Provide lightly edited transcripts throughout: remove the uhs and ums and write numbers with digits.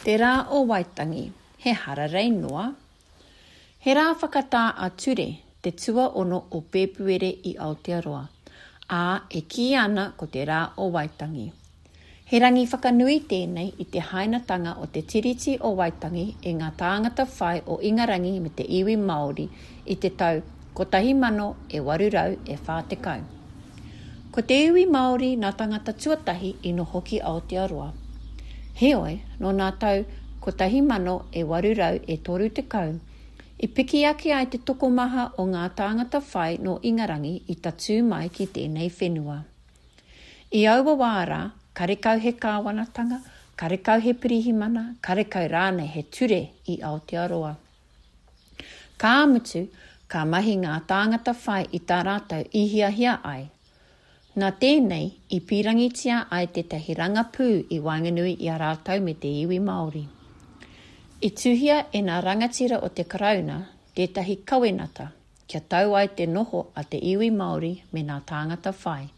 Te Rā o Waitangi, he hararei noa? He rā whakatā ā-ture te tuaono o Pēpuere i Aotearoa, ā, e kīia ana ko te Rā o Waitangi. He rangi whakanui tēnei i te hainatanga o te Tiriti o Waitangi e ngā tāngata whai o Ingarangi me te iwi Māori i te tau 1840. Ko te iwi Māori nā tangata tuatahi i noho ki Aotearoa. Heoi, nō nā tau 1830, i piki ake ai te tokomaha o ngā tāngata whai nō Ingarangi i tatū mai ki tēnei whenua. I aua wā rā, karekau he kāwanatanga, karekau he pirihimana, karekau rānei he ture i Aotearoa. Ka mutu, ka mahi ngā tāngata whai i tā rātou i hiahia ai. Nā tēnei i pīrangitia ai tētahi rangapū i waenganui i a rātou me te iwi Māori. I tuhia e nā rangatira o te Karauna tētahi kawenata, kia tau ai te noho a te iwi Māori me nā tāngata whai,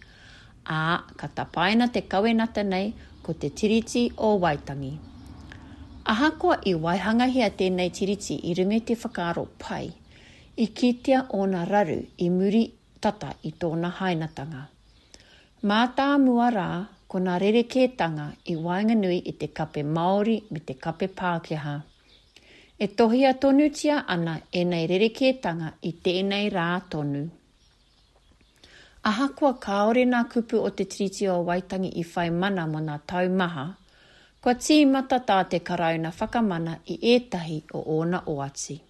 ā, ka tapaina te kawenata nei ko Te Tiriti o Waitangi. Ahakoa i waihangahia tēnei tiriti i runga i te whakaaro pai, i kitea ōna raru i muri tata i tōna hainatanga. Mātāmua rā ko nā rerekētanga i waenganui i te kape Māori me te kape Pākehā. E tohia tonutia ana ēnei rerekētanga i tēnei rā tonu. Ahakoa kāore nā kupu o Te Tiriti o Waitangi i whai mana mō nā tau maha, kua tīmata tā te Karauna whakamana i ētahi o ōna oati.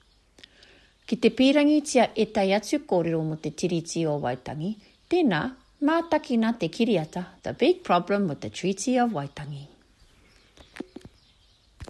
Ki te pīrangitia ētahi atu kōrero mō Te Tiriti o Waitangi, tēnā, mātakina te kiriata The Big Problem with the Treaty of Waitangi.